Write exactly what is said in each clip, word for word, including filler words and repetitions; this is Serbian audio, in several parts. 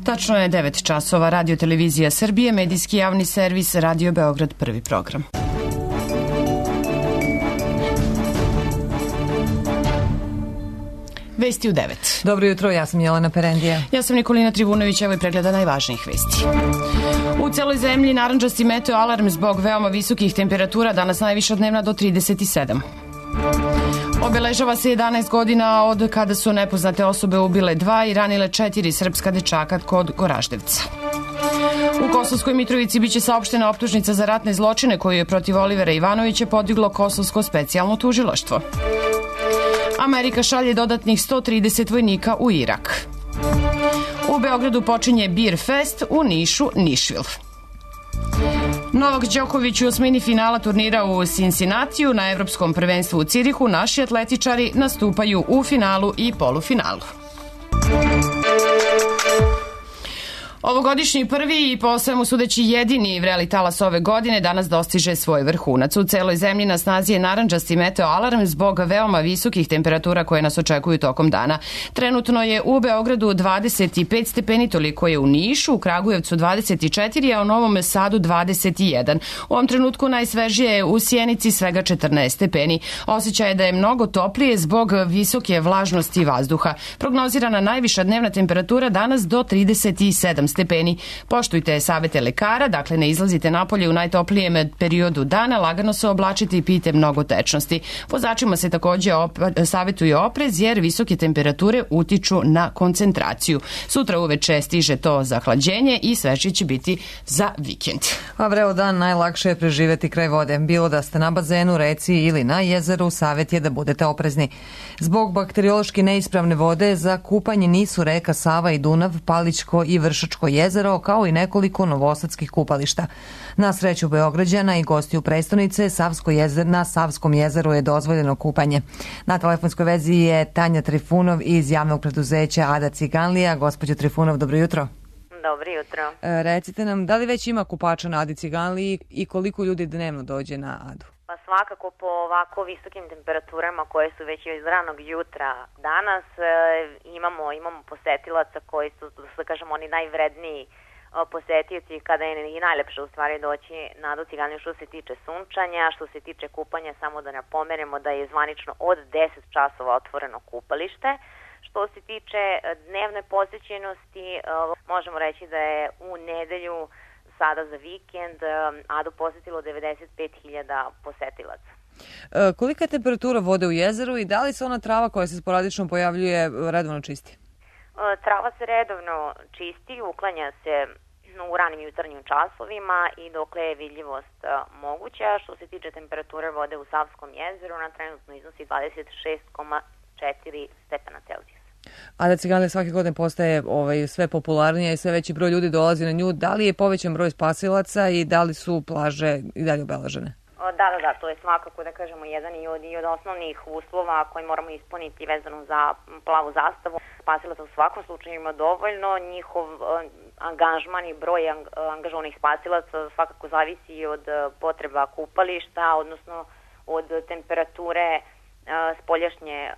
Tačno je devet časova. Radio Televizija Srbije, medijski javni servis, Radio Beograd, prvi program. Vesti u devet. Dobro jutro, ja sam Jelena Perendija. Ja sam Nikolina Trivunović, evo i pregleda najvažnijih vesti. U celoj zemlji narandžasti meteo alarm zbog veoma visokih temperatura, danas najviša dnevna do trideset sedam. Obeležava se jedanaest godina od kada su nepoznate osobe ubile dva i ranile četiri srpska dečaka kod Goraždevca. U Kosovskoj Mitrovici biće saopštena optužnica za ratne zločine koju je protiv Olivera Ivanovića podiglo Kosovsko specijalno tužilaštvo. Amerika šalje dodatnih sto trideset vojnika u Irak. U Beogradu počinje Beer Fest, u Nišu Nišvil. Novak Đoković u osmini finala turnira u Cincinnatiju na Evropskom prvenstvu u Cirihu naši atletičari nastupaju u finalu i polufinalu. Ovogodišnji prvi i po svemu sudeći jedini vreli talas ove godine danas dostiže svoj vrhunac. U celoj zemlji na snazi je narandžasti meteo alarm zbog veoma visokih temperatura koje nas očekuju tokom dana. Trenutno je u Beogradu dvadeset pet stepeni, toliko je u Nišu, u Kragujevcu dvadeset četiri, a u Novom Sadu dvadeset jedan. U ovom trenutku najsvežije je u Sjenici svega četrnaest stepeni. Osjećaj je da je mnogo toplije zbog visoke vlažnosti vazduha. Prognozirana najviša dnevna temperatura danas do trideset sedam stepeni. Poštujte savete lekara, dakle ne izlazite napolje u najtoplijem periodu dana, lagano se oblačite i pijte mnogo tečnosti. Vozačima se takođe op- savjetuje oprez jer visoke temperature utiču na koncentraciju. Sutra uveče stiže to zahlađenje i sveže će biti za vikend. A vreo dan najlakše je preživeti kraj vode. Bilo da ste na bazenu, reci ili na jezeru, savjet je da budete oprezni. Zbog bakteriološki neispravne vode za kupanje nisu reka Sava i Dunav, Palićko i Vršačko jezero, kao i nekoliko novosadskih kupališta. Na sreću Beograđana i gostiju prestonice, Savsko jezer, na Savskom jezeru je dozvoljeno kupanje. Na telefonskoj vezi je Tanja Trifunov iz javnog preduzeća Ada Ciganlija. Gospođo Trifunov, dobro jutro. Dobro jutro. E, recite nam, da li već ima kupača na Adi Ciganliji i koliko ljudi dnevno dođe na Adu? Pa svakako po ovako visokim temperaturama koje su već iz ranog jutra danas e, imamo imamo posetilaca koji su, da kažemo, oni najvredniji e, posetioci kada je i najlepše u stvari doći na Adu Ciganliju što se tiče sunčanja, što se tiče kupanja, samo da napomenemo da je zvanično od deset časova otvoreno kupalište. Što se tiče dnevne posećenosti, e, možemo reći da je u nedelju sada za vikend Adu posetilo devedeset pet hiljada posetilaca. E, kolika je temperatura vode u jezeru i da li se ona trava koja se sporadično pojavljuje redovno čisti? E, trava se redovno čisti, uklanja se u ranim jutarnjim časovima i dokle je vidljivost e, moguća. Što se tiče temperature vode u Savskom jezeru, ona trenutno iznosi dvadeset šest zarez četiri stepena Celzijusa. Ada Ciganlija svake godine postaje ovaj, sve popularnija i sve veći broj ljudi dolazi na nju. Da li je povećan broj spasilaca i da li su plaže i dalje obeležene? Da, da, da, to je svakako, da kažemo, jedan i od, i od osnovnih uslova koji moramo ispuniti vezano za plavu zastavu. Spasilaca u svakom slučaju ima dovoljno, njihov angažman i broj angažovanih spasilaca svakako zavisi od potreba kupališta, odnosno od temperature spoljašnje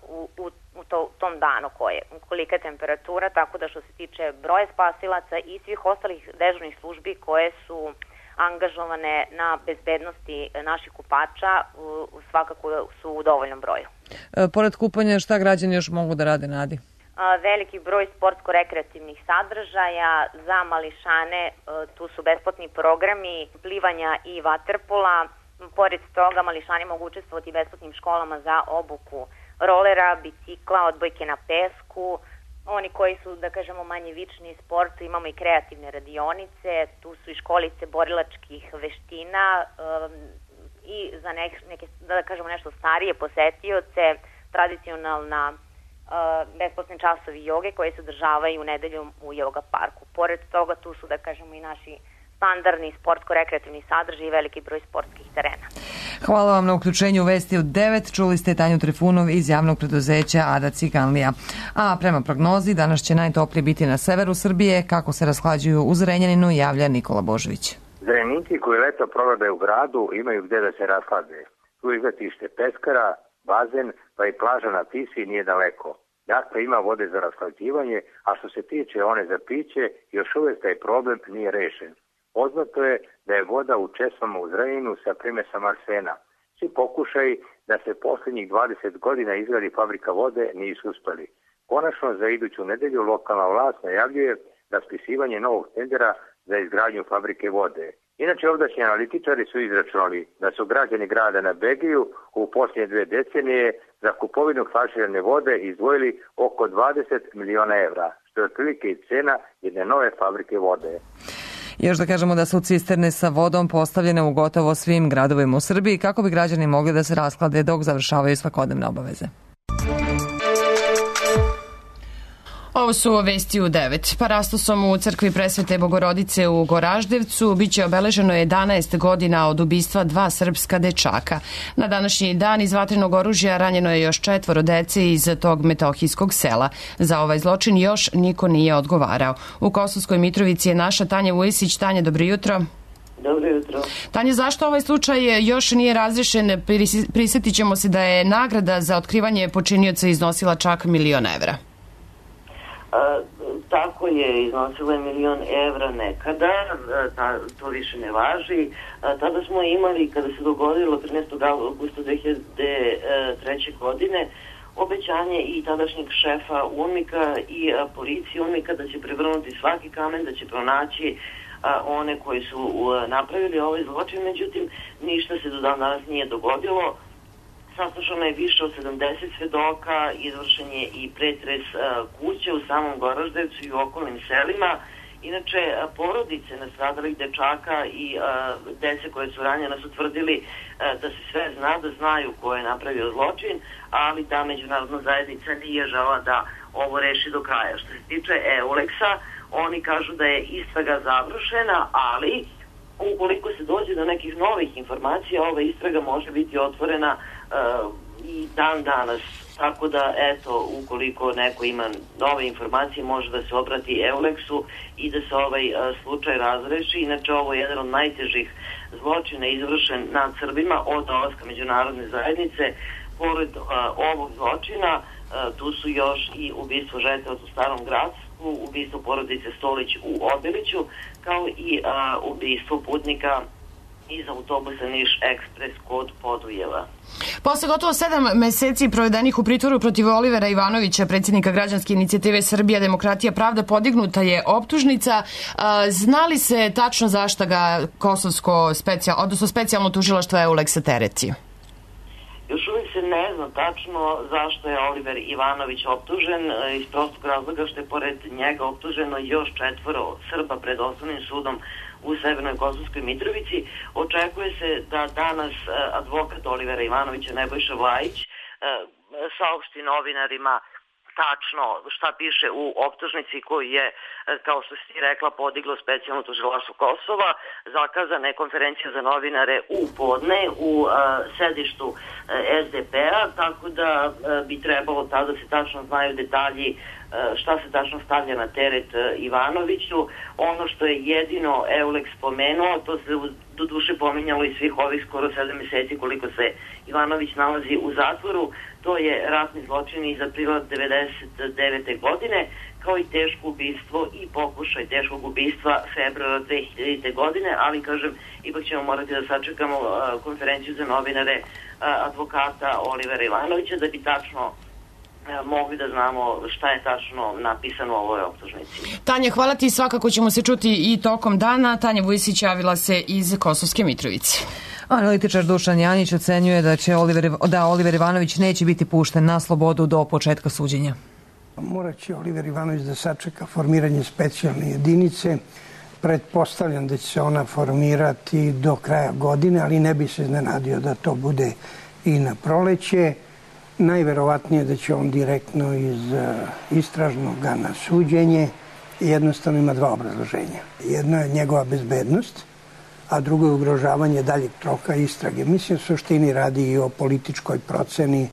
u, u, u to, tom danu koje, kolika je temperatura, tako da što se tiče broja spasilaca i svih ostalih dežurnih službi koje su angažovane na bezbednosti naših kupača, u, svakako su u dovoljnom broju. E, pored kupanja, šta građani još mogu da rade na Adi? A, veliki broj sportsko-rekreativnih sadržaja za mališane, a, tu su besplatni programi plivanja i vaterpola. Pored toga, mališani mogu učestvovati u besplatnim školama za obuku rolera, bicikla, odbojke na pesku. Oni koji su, da kažemo, manje vični sportu, imamo i kreativne radionice, tu su i školice borilačkih veština um, i za neke, neke, da kažemo, nešto starije posetioce, tradicionalna uh, besplatni časovi joge koje se održavaju nedeljom u Joga parku. Pored toga, tu su, da kažemo, i naši standardni sportsko-rekreativni sadržaj i veliki broj sportskih terena. Hvala vam na uključenju u Vesti od devet. Čuli ste Tanju Trifunov iz javnog preduzeća Ada Ciganlija. A prema prognozi, danas će najtoplije biti na severu Srbije. Kako se rashlađuju u Zrenjaninu, javlja Nikola Božović. Zrenjinci koji leto provode u gradu imaju gde da se rashlade. Tu izletište Peskara, bazen, pa i plaža na Tisi nije daleko. Dakle, ima vode za rashlađivanje, a što se tiče one za piće, još uvijek taj problem nije rešen. Poznato je da je voda u česmama u Zrenjaninu sa primesama arsena. Svi pokušaji da se posljednjih dvadeset godina izgradi fabrika vode nisu uspeli. Konačno, za iduću nedelju lokalna vlast najavljuje raspisivanje novog tendera za izgradnju fabrike vode. Inače, ovdašnji analitičari su izračunali da su građani grada na Begiju u posljednje dve decenije za kupovinu flaširane vode izdvojili oko dvadeset miliona evra, što je otprilike i cena jedne nove fabrike vode. Još da kažemo da su cisterne sa vodom postavljene u gotovo svim gradovima u Srbiji kako bi građani mogli da se rasklade dok završavaju svakodnevne obaveze. Ovo su vesti u devet. Parastosom u crkvi Presvete Bogorodice u Goraždevcu biće obeleženo jedanaest godina od ubistva dva srpska dečaka. Na današnji dan iz vatrenog oružja ranjeno je još četvoro dece iz tog metohijskog sela. Za ovaj zločin još niko nije odgovarao. U Kosovskoj Mitrovici je naša Tanja Vujisić. Tanja, dobro jutro. Dobro jutro. Tanja, zašto ovaj slučaj još nije razrešen? Prisjetit ćemo se da je nagrada za otkrivanje počinioca iznosila čak milion evra. A, tako je, iznosilo je milion evra nekada, ta, to više ne važi. A, tada smo imali, kada se dogodilo trinaestog avgusta dve hiljade treće. godine, obećanje i tadašnjeg šefa UNMIK-a i a, policije UNMIK-a da će prevrnuti svaki kamen, da će pronaći a, one koji su a, napravili ovaj zločin, međutim ništa se do dan danas nije dogodilo. Saslušano je više od sedamdeset svedoka, izvršen je i pretres a, kuće u samom Goraždevcu i u okolnim selima. Inače, a, porodice nastradalih dečaka i a, dece koje su ranjena su tvrdili a, da se sve zna, da znaju ko je napravio zločin, ali da međunarodna zajednica nije žela da ovo reši do kraja. Što se tiče Euleksa, oni kažu da je istraga završena, ali ukoliko se dođe do nekih novih informacija, ova istraga može biti otvorena uh, i dan danas. Tako da, eto, ukoliko neko ima nove informacije, može da se obrati Euleksu i da se ovaj uh, slučaj razreši. Inače, ovo je jedan od najtežih zločina izvršen nad Srbima od dolaska međunarodne zajednice. Pored uh, ovog zločina, uh, tu su još i ubistvo žetelac u Starom Gracku, ubistvo porodice Stolić u Obiliću, kao i a, ubistvo putnika iz autobusa Niš Ekspres kod Podujeva. Posle gotovo sedam meseci provedenih u pritvoru protiv Olivera Ivanovića, predsjednika građanske inicijative Srbija, demokratija, pravda, podignuta je optužnica. Zna li se tačno zašto ga Kosovsko specijal, odnosno specijalno tužilaštvo Euleksa tereti? Još uvijek se ne zna tačno zašto je Oliver Ivanović optužen, iz prostog razloga što je pored njega optuženo još četvoro Srba pred osnovnim sudom u Severnoj Kosovskoj Mitrovici. Očekuje se da danas advokat Olivera Ivanovića, Nebojša Vlajić, saopšti novinarima tačno šta piše u optužnici koju je, kao što si rekla, podiglo specijalno tužilaštvo Kosova. Zakazana je konferencija za novinare u podne u uh, sedištu uh, es de pe-a, tako da uh, bi trebalo tada se tačno znaju detalji uh, šta se tačno stavlja na teret uh, Ivanoviću. Ono što je jedino Euleks spomenuo, to se do duše pominjalo i svih ovih skoro sedam meseci koliko se Ivanović nalazi u zatvoru, to je ratni zločin iz aprila devedeset devete. godine, kao i teško ubistvo i pokušaj teškog ubistva februara dve hiljadite. godine, ali kažem, ipak ćemo morati da sačekamo uh, konferenciju za novinare uh, advokata Olivera Ivanovića da bi tačno uh, mogli da znamo šta je tačno napisano u ovoj optužnici. Tanja, hvala ti, svakako ćemo se čuti i tokom dana. Tanja Vujisić javila se iz Kosovske Mitrovice. Analitičar Dušan Janić ocenjuje da će Oliver, da Oliver Ivanović neće biti pušten na slobodu do početka suđenja. Morat će Oliver Ivanović da sačeka formiranje specijalne jedinice. Pretpostavljam da će se ona formirati do kraja godine, ali ne bi se iznenadio da to bude i na proleće. Najverovatnije da će on direktno iz istražnog na suđenje. Jednostavno ima dva obrazloženja. Jedno je njegova bezbednost, a drugo je ugrožavanje daljeg toka istrage. Mislim, u suštini radi i o političkoj proceni.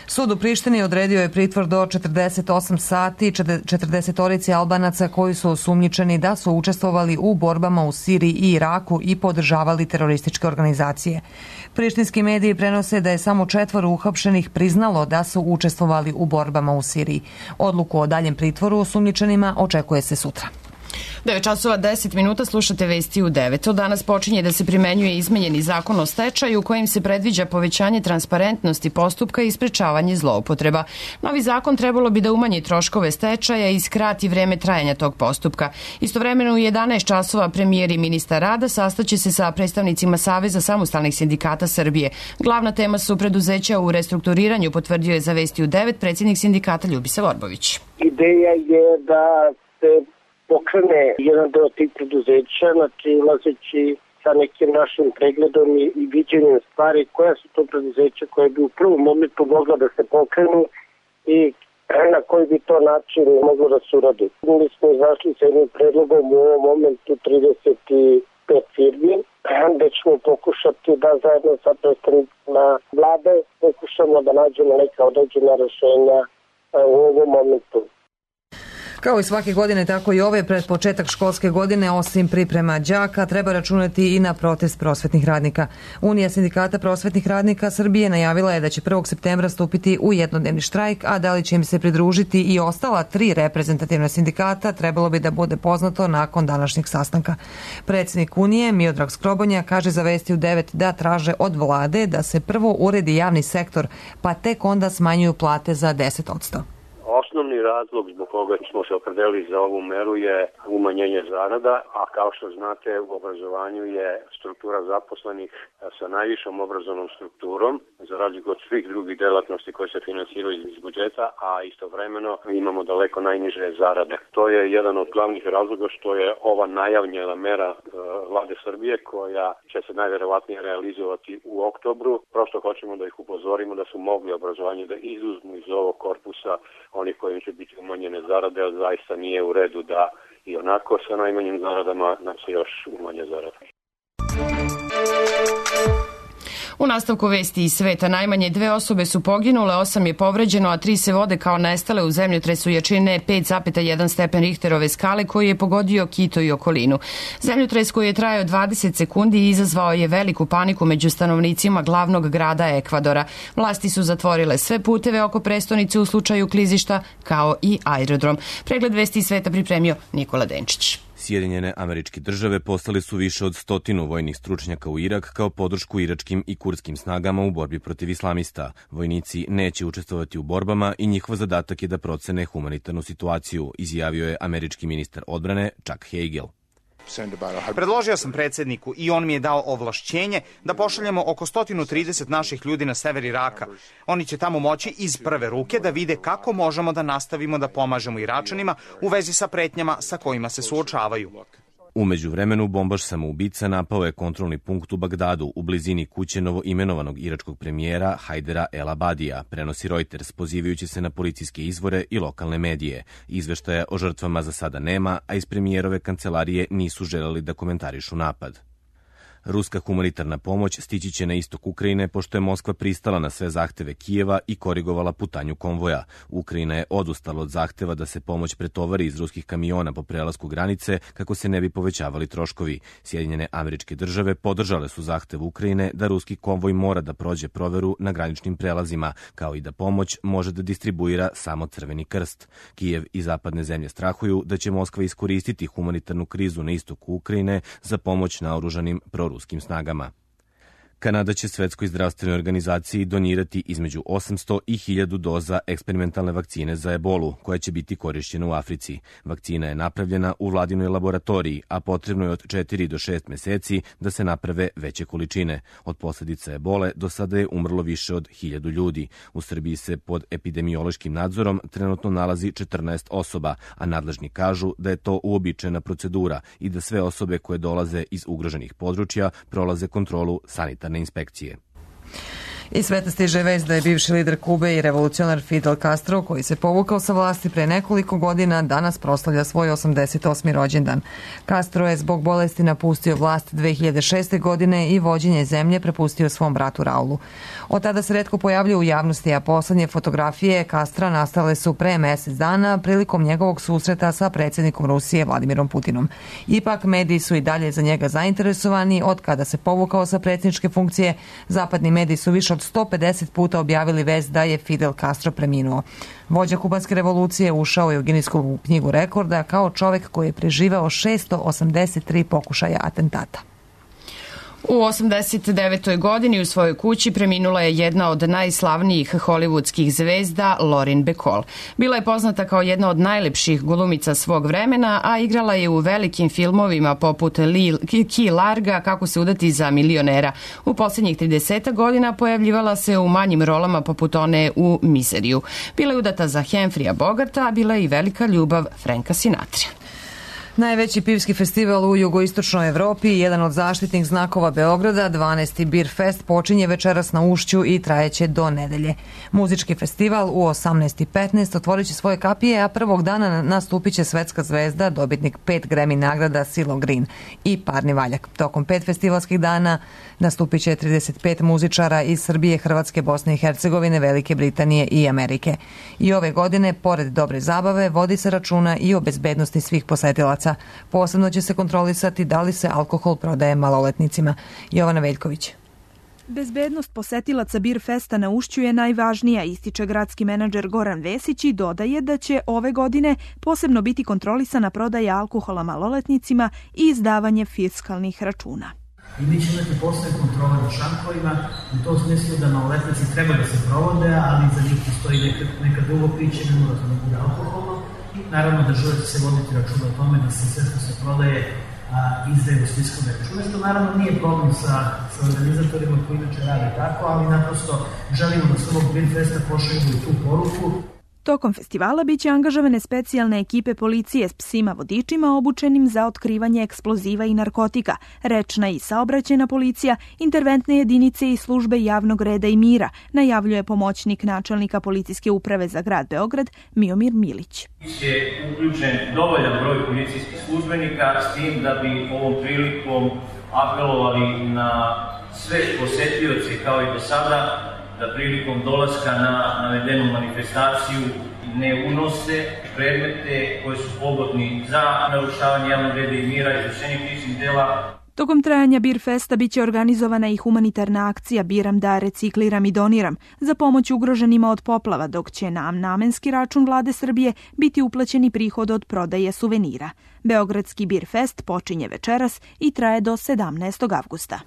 Sud u Prištini odredio je pritvor do četrdeset osam sati četrdesetorici Albanaca koji su osumnjičeni da su učestvovali u borbama u Siriji i Iraku i podržavali terorističke organizacije. Prištinski mediji prenose da je samo četvoro uhapšenih priznalo da su učestvovali u borbama u Siriji. Odluku o daljem pritvoru osumnjičenima očekuje se sutra. devet časova deset minuta, slušate vesti u devet. Od danas počinje da se primenjuje izmenjeni zakon o stečaju kojim se predviđa povećanje transparentnosti postupka i sprečavanje zloupotreba. Novi zakon trebalo bi da umanji troškove stečaja i skrati vreme trajanja tog postupka. Istovremeno u jedanaest časova premijer i ministar rada sastaće se sa predstavnicima Saveza samostalnih sindikata Srbije. Glavna tema su preduzeća u restrukturiranju, potvrdio je za vesti u devet predsjednik sindikata Ljubisa Vorbović. Ideja je da se pokrene jedan deo tih preduzeća, znači ulazeći sa nekim našim pregledom i, i viđenjem stvari koja su to preduzeća koje bi u prvom momentu mogla da se pokrenu i na koji bi to način moglo da se uradi. Mi smo izašli sa jednim predlogom u ovom momentu trideset pet firmi, gde ćemo pokušati da zajedno sa predstavnicima vlade pokušamo da nađemo neka određena rešenja u ovom momentu. Kao i svake godine, tako i ove, pred početak školske godine, osim priprema đaka, treba računati i na protest prosvetnih radnika. Unija sindikata prosvetnih radnika Srbije najavila je da će prvog septembra stupiti u jednodnevni štrajk, a da li će im se pridružiti i ostala tri reprezentativna sindikata, trebalo bi da bude poznato nakon današnjeg sastanka. Predsjednik Unije, Miodrag Skrobonja, kaže za vesti u devet da traže od vlade da se prvo uredi javni sektor, pa tek onda smanjuju plate za deset posto. Osnovni razlog zbog koga smo se opredelili za ovu meru je umanjenje zarada, a kao što znate u obrazovanju je struktura zaposlenih sa najvišom obrazovnom strukturom, za razliku od svih drugih delatnosti koje se finansiraju iz budžeta, a istovremeno imamo daleko najniže zarade. To je jedan od glavnih razloga što je ova najavljena mera vlade Srbije koja će se najverovatnije realizovati u oktobru. Prosto hoćemo da ih upozorimo da su mogli obrazovanje da izuzmu iz ovog korpusa oni kojim će biti umanjene zarade, ali zaista nije u redu da i onako sa najmanjim zaradama nam se još umanje zarade. U nastavku vesti iz sveta najmanje dve osobe su poginule, osam je povređeno, a tri se vode kao nestale u zemljotresu jačine pet zarez jedan stepen Richterove skale koji je pogodio Kito i okolinu. Zemljotres koji je trajao dvadeset sekundi i izazvao je veliku paniku među stanovnicima glavnog grada Ekvadora. Vlasti su zatvorile sve puteve oko prestonice u slučaju klizišta, kao i aerodrom. Pregled vesti iz sveta pripremio Nikola Denčić. Sjedinjene Američke Države poslali su više od stotinu vojnih stručnjaka u Irak kao podršku iračkim i kurdskim snagama u borbi protiv islamista. Vojnici neće učestvovati u borbama i njihov zadatak je da procene humanitarnu situaciju, izjavio je američki ministar odbrane Chuck Hagel. Predložio sam predsjedniku i on mi je dao ovlašćenje da pošaljemo oko sto trideset naših ljudi na sever Iraka. Oni će tamo moći iz prve ruke da vide kako možemo da nastavimo da pomažemo Iračanima u vezi sa pretnjama sa kojima se suočavaju. U međuvremenu bombaš samoubica napao je kontrolni punkt u Bagdadu u blizini kuće novoimenovanog iračkog premijera Hajdera El Abadija, prenosi Reuters, pozivajući se na policijske izvore i lokalne medije. Izveštaja o žrtvama za sada nema, a iz premijerove kancelarije nisu želeli da komentarišu napad. Ruska humanitarna pomoć stići će na istok Ukrajine pošto je Moskva pristala na sve zahteve Kijeva i korigovala putanju konvoja. Ukrajina je odustala od zahteva da se pomoć pretovari iz ruskih kamiona po prelasku granice kako se ne bi povećavali troškovi. Sjedinjene Američke Države podržale su zahtev Ukrajine da ruski konvoj mora da prođe proveru na graničnim prelazima, kao i da pomoć može da distribuira samo Crveni krst. Kijev i zapadne zemlje strahuju da će Moskva iskoristiti humanitarnu krizu na istoku Ukrajine za pomoć naoružanim proruskim ruskim snagama. Kanada će Svetskoj zdravstvenoj organizaciji donirati između osamsto i hiljadu doza eksperimentalne vakcine za ebolu, koja će biti korišćena u Africi. Vakcina je napravljena u vladinoj laboratoriji, a potrebno je od četiri do šest meseci da se naprave veće količine. Od posljedica ebole do sada je umrlo više od hiljadu ljudi. U Srbiji se pod epidemiološkim nadzorom trenutno nalazi četrnaest osoba, a nadležni kažu da je to uobičajena procedura i da sve osobe koje dolaze iz ugroženih područja prolaze kontrolu sanitarne inspekcije. I sveta stiže vest da je bivši lider Kube i revolucionar Fidel Castro, koji se povukao sa vlasti pre nekoliko godina, danas proslavlja svoj osamdeset osmi rođendan. Castro je zbog bolesti napustio vlast dve hiljade šeste. godine i vođenje zemlje prepustio svom bratu Raulu. Od tada se retko pojavljuje u javnosti, a poslednje fotografije Castra nastale su pre mesec dana prilikom njegovog susreta sa predsjednikom Rusije Vladimirom Putinom. Ipak, mediji su i dalje za njega zainteresovani. Od kada se povukao sa predsjedničke funkcije, zapadni mediji su više od sto pedeset puta objavili vest da je Fidel Castro preminuo. Vođa kubanske revolucije ušao je u Ginisku knjigu rekorda kao čovek koji je preživeo šesto osamdeset tri pokušaja atentata. U osamdeset devetoj. godini u svojoj kući preminula je jedna od najslavnijih hollywoodskih zvezda, Lauren Bacall. Bila je poznata kao jedna od najlepših glumica svog vremena, a igrala je u velikim filmovima poput Key Larga, Kako se udati za milionera. U posljednjih trideset godina pojavljivala se u manjim rolama poput one u Miseriju. Bila je udata za Humphreyja Bogarta, a bila je i velika ljubav Franka Sinatra. Najveći pivski festival u jugoistočnoj Evropi, jedan od zaštitnih znakova Beograda, dvanaesti Beer Fest, počinje večeras na Ušću i trajeće do nedelje. Muzički festival u osamnaest i petnaest otvorit će svoje kapije, a prvog dana nastupit će svetska zvezda, dobitnik pet Grammy nagrada CeeLo Green i parni valjak. Tokom pet festivalskih dana nastupit će trideset pet muzičara iz Srbije, Hrvatske, Bosne i Hercegovine, Velike Britanije i Amerike. I ove godine, pored dobre zabave, vodi se računa i o bezbednosti svih posetilaca. Posebno će se kontrolisati da li se alkohol prodaje maloletnicima. Jovana Veljković. Bezbednost posetilaca Beer Festa na Ušću je najvažnija, ističe gradski menadžer Goran Vesić i dodaje da će ove godine posebno biti kontrolisana prodaja alkohola maloletnicima i izdavanje fiskalnih računa. I mi ćemo imati posebne kontrole na šankovima, u tom smislu da maloletnici treba da se provode, ali za njih postoji neka, neka drugo piće, ne mora to da bude alkoholno. Naravno, država će se voditi računa o tome da se sve što se prodaje a, izdaje uz fiskalne račune, što naravno nije problem sa, sa organizatorima koji inače radi tako, ali naprosto želimo da s ovog Beer Festa pošaljemo i tu poruku. Tokom festivala biće angažovane specijalne ekipe policije s psima vodičima obučenim za otkrivanje eksploziva i narkotika, rečna i saobraćajna policija, interventne jedinice i službe javnog reda i mira, najavljuje pomoćnik načelnika policijske uprave za grad Beograd Miomir Milić. Je uključen dovoljan broj policijskih službenika s tim da bi ovom prilikom apelovali na sve posetioce kao i do sada da prilikom dolaska na navedenu manifestaciju ne unose predmete koji su pogodni za narušavanje javnog reda i mira, izvršenje krivičnih dela. Tokom trajanja Beer Festa biće organizovana i humanitarna akcija Biram da recikliram i doniram za pomoć ugroženima od poplava, dok će na namenski račun vlade Srbije biti uplaćeni prihod od prodaje suvenira. Beogradski Beer Fest počinje večeras i traje do sedamnaestog avgusta.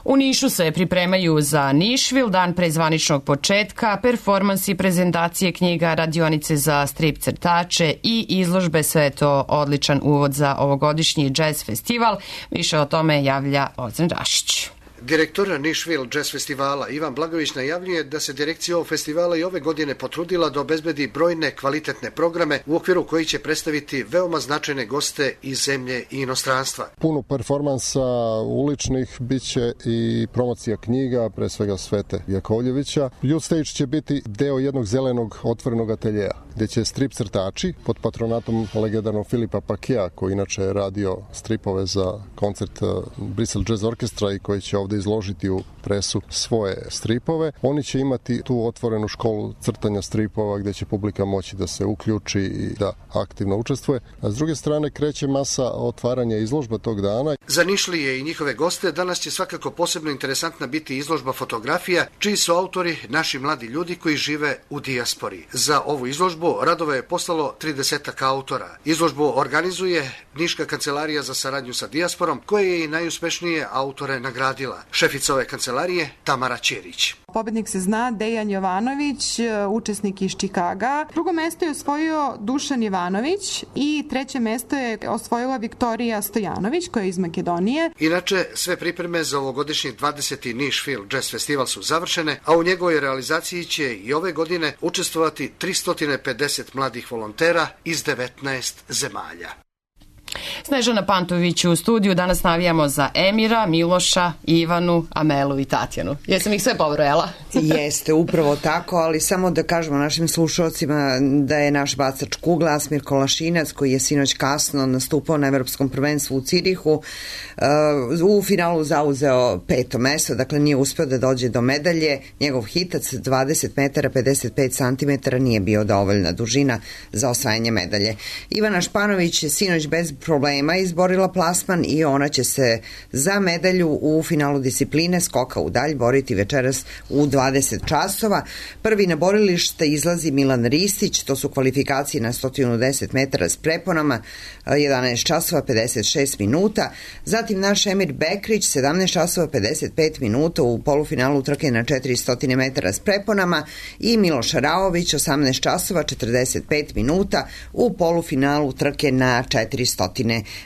U Nišu se pripremaju za Nišvil, dan pre zvaničnog početka, performansi, prezentacije knjiga, radionice za strip crtače i izložbe. Sve je to odličan uvod za ovogodišnji jazz festival. Više o tome javlja Ozren Rašić. Direktor Nišvil Jazz Festivala Ivan Blagović najavljuje da se direkcija ovog festivala i ove godine potrudila da obezbedi brojne kvalitetne programe u okviru koji će predstaviti veoma značajne goste iz zemlje i inostranstva. Puno performansa uličnih, bit će i promocija knjiga, pre svega Svete Jakovljevića. Youth Stage će biti deo jednog zelenog otvorenog ateljeja, gde će strip crtači pod patronatom legendarnog Filipa Pakea, koji inače je radio stripove za koncert Bristol Jazz Orkestra i koji će ovde izložiti u presu svoje stripove. Oni će imati tu otvorenu školu crtanja stripova gde će publika moći da se uključi i da aktivno učestvuje. A s druge strane kreće masa otvaranja izložba tog dana. Za Nišlije i njihove goste danas će svakako posebno interesantna biti izložba fotografija, čiji su autori naši mladi ljudi koji žive u dijaspori. Za ovu izložbu radove je poslalo tridesetak autora. Izložbu organizuje Niška kancelarija za saradnju sa dijasporom, koja je i najuspešnije autore nagradila. Šefica ove kancelarije Tamara Ćerić. Pobednik se zna, Dejan Jovanović, učesnik iz Čikaga. Drugo mesto je osvojio Dušan Ivanović i treće mesto je osvojila Viktorija Stojanović, koja je iz Makedonije. Inače, sve pripreme za ovogodišnji dvadeseti Nišvil Jazz Festival su završene, a u njegovoj realizaciji će i ove godine učestvovati tristo pedeset mladih volontera iz devetnaest zemalja. Snežana Pantović u studiju. Danas navijamo za Emira, Miloša, Ivanu, Amelu i Tatjanu. Jesam ih sve pobrojala? Jeste, upravo tako, ali samo da kažemo našim slušalcima da je naš bacač kugle Asmir Kolašinac, koji je sinoć kasno nastupao na Evropskom prvenstvu u Cirihu, u finalu zauzeo peto mesto, dakle nije uspeo da dođe do medalje. Njegov hitac dvadeset metara pedeset pet centimetara nije bio dovoljna dužina za osvajanje medalje. Ivana Španović je sinoć bez problema izborila plasman i ona će se za medalju u finalu discipline skoka u dalj boriti večeras u dvadeset časova. Prvi na borilište izlazi Milan Ristić, to su kvalifikacije na sto deset metara s preponama, jedanaest časova pedeset šest minuta. Zatim naš Emir Bekrić, sedamnaest časova pedeset pet minuta u polufinalu trke na četiristo metara s preponama i Miloš Raović, osamnaest časova četrdeset pet minuta u polufinalu trke na četiristo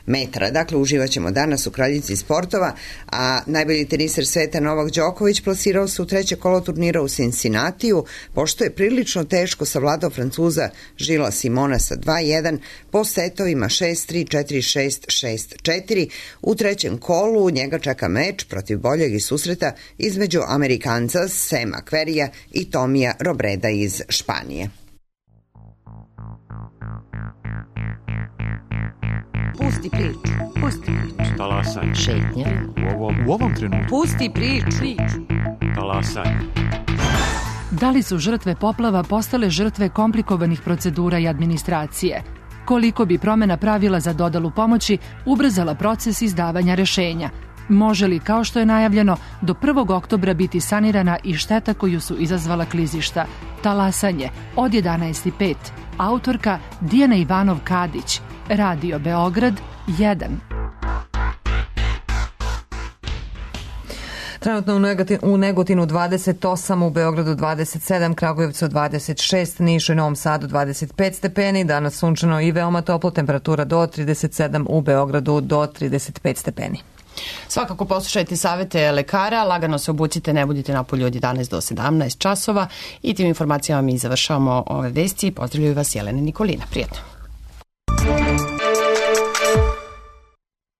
metara. Dakle, uživaćemo danas u kraljici sportova, a najbolji teniser sveta Novak Đoković plasirao se u treće kolo turnira u Cincinnatiju, pošto je prilično teško savladao Francuza Žila Simona sa dva jedan po setovima šest tri, četiri šest, šest četiri. U trećem kolu njega čeka meč protiv boljeg iz susreta između Amerikanca Sema Kverija i Tomija Robreda iz Španije. Pusti priču, pusti priču. Talasanje. Šetnja. U ovom, u ovom trenutku. Pusti priču. Talasanje. Da li su žrtve poplava postale žrtve komplikovanih procedura i administracije? Koliko bi promena pravila za dodelu pomoći ubrzala proces izdavanja rešenja? Može li, kao što je najavljeno, do prvog oktobra biti sanirana i šteta koju su izazvala klizišta? Talasanje od jedanaest i pet. Autorka Dijana Ivanov-Kadić. Radio Beograd jedan. Trenutno u Negotinu dvadeset osam, u Beogradu dvadeset sedam, Kragujevcu dvadeset šest, Nišu i Novom Sadu dvadeset pet stepeni, danas sunčano i veoma toplo, temperatura do trideset sedam, u Beogradu do trideset pet stepeni. Svakako poslušajte savete lekara, lagano se obucite, ne budite napolju od jedanaest do sedamnaest časova i tim informacijama mi završavamo ove vesti. Pozdravljaju vas Jelena Nikolina. Prijetno.